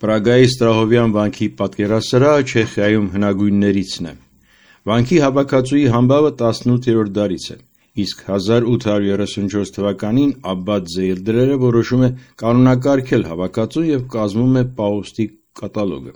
Պրագայի Ստրահովյան վանքի պատկերասրահը Չեխիայում հնագույններիցն է։ Վանքի հավաքածուի համբավը 18-րդ դարից է, իսկ 1834 թվականին Աբբատ Զեյլդրերը որոշում է կանոնակարգել հավաքածուն և կազմում է պահոստի կատալոգը։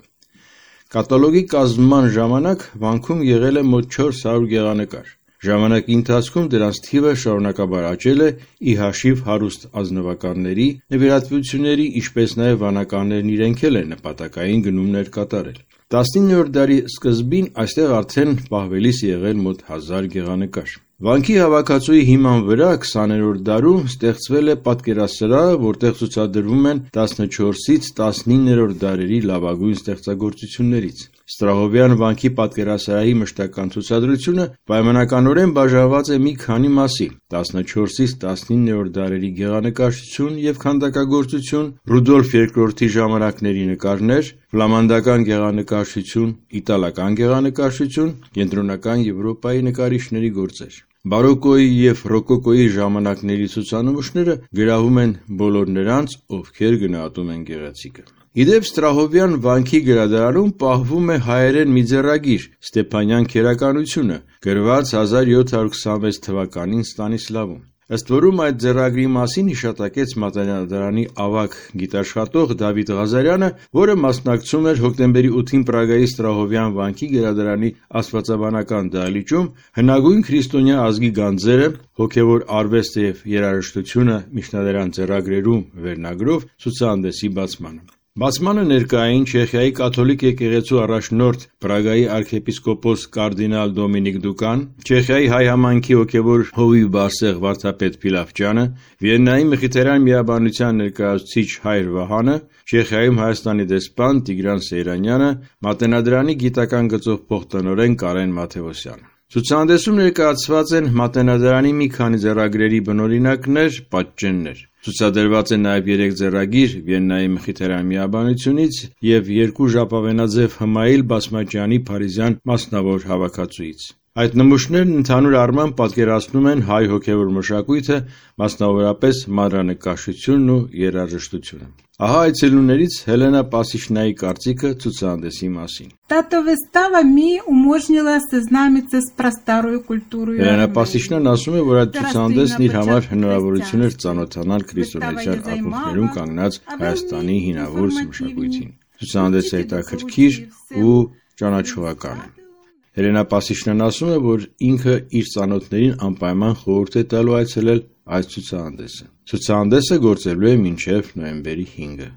Կատալոգի կազմման ժամանակ վանքում եղել է մոտ 400 գեղանկար։ Ժամանակի ընթացքում դրանց թիվը շարունակաբար աճել է, ի հաշիվ հարուստ ազնվականների, նվիրատվությունների, ինչպես նաև վանականներն իրենք էլ են նպատակային գնումներ կատարել։ 19-րդ դարի սկզբին այստեղ արդեն պահվելիս եղել մոտ 1000 գեղանկար։ Վանքի հավաքածուի հիման վրա 20-րդ դարում ստեղծվել է պատկերասրահը, որտեղ ցուցադրվում են 14-ից 19-րդ դարերի լավագույն ստեղծագործություններից։ Ստրահովյան վանքի պատկերասրահի մշտական ցուցադրությունը պայմանականորեն բաժանված է մի քանի մասի՝ 14-ից 19-րդ դարերի գեղանկարչություն և քանդակագործություն, Ռուդոլֆ II ժամանակների նկարներ, ֆլամանդական գեղանկարչություն, իտալական գեղանկարչություն, կենտրոնական Եվրոպայի նկարիչների գործեր։ Բարոկկոյի և ռոկոկոյի ժամանակների ցուցանմուշները գրավում են բոլոր նրանց, ովքեր գնահատում են գեղեցիկը։ Ի դեպ, Ստրահովյան վանքի գրադարանում պահվում է հայերեն մի ձեռագիր «Ստեփանյան քերականությունը», գրված 1726 թվականին Ստանիսլավում։ Ըստ որում այդ ձեռագրի մասին հիշատակեց Մատենադարանի ավագ գիտաշխատող Դավիթ Ղազարյանը, որը մասնակցում էր հոկտեմբերի 8-ին Պրագայի Ստրահովյան վանքի գրադարանի աստվածաբանական դահլիճում «Հնագույն քրիստոնյա ազգի գանձերը. հոգևոր արվեստը և երաժշտությունը» միջնադարյան ձեռագրերում վերնագրով ցուցահանդեսի բացմանը։ Բացմանը ներկա էին Չեխիայի կաթոլիկ եկեղեցու առաջնորդ Պրագայի արքեպիսկոպոս կարդինալ Դոմինիկ Դուկան, Չեխիայի հայ համայնքի հոգևոր հովիվ Բարսեղ վարդապետ Փիլավճյանը, Վիեննայի Մխիթարյան միաբանության ներկայացուցիչ Հայր Վահանը, Չեխիայում Հայաստանի դեսպան Տիգրան Սեյրանյանը, Մատենադարանի գիտական գծով փոխտնօրեն Կարեն Մաթևոսյանը։ Ցուցահանդեսում ներկայացված են Մատենադարանի մի քանի ձեռագրերի բնօրինակներ, պատճեններ։ Ցուցադրված է նաև 3 ձեռագիր Վիեննայի Մխիթարյան միաբանությունից և 2 ժապավենաձև Հմայիլ Բասմաջյանի փարիզյան մասնավոր հավաքածուից։ Այդ նմուշներն ընդհանուր առմամբ պատկերացնում են հայ հոգևոր մշակույթը, մասնավորապես մանրանկարչությունն ու երաժշտությունը։ Ահա այցելուներից Հելենա Պասիչնայի կարծիքը ցուցահանդեսի մասին։ Эта выстава мне уможнила ознакомиться с просторой культурой։ Հելենա Պասիչնան ասում է, որ այդ ցուցահանդեսն իր համար հնարավորություն էր ծանոթանալ քրիստոնեական ակունքներում կանգնած Հայաստանի հինավուրց մշակույթին։ Ցուցահանդեսը հետաքրքիր ու ճանաչողական է։ Հելենա Պասիչնան ասում է, որ ինքը իր ծանոթներին անպայման խորհուրդ է տալու այցելել այս ցուցահանդեսը։ Ցուցահանդեսը գործելու է մինչև նոյեմբերի 5-ը։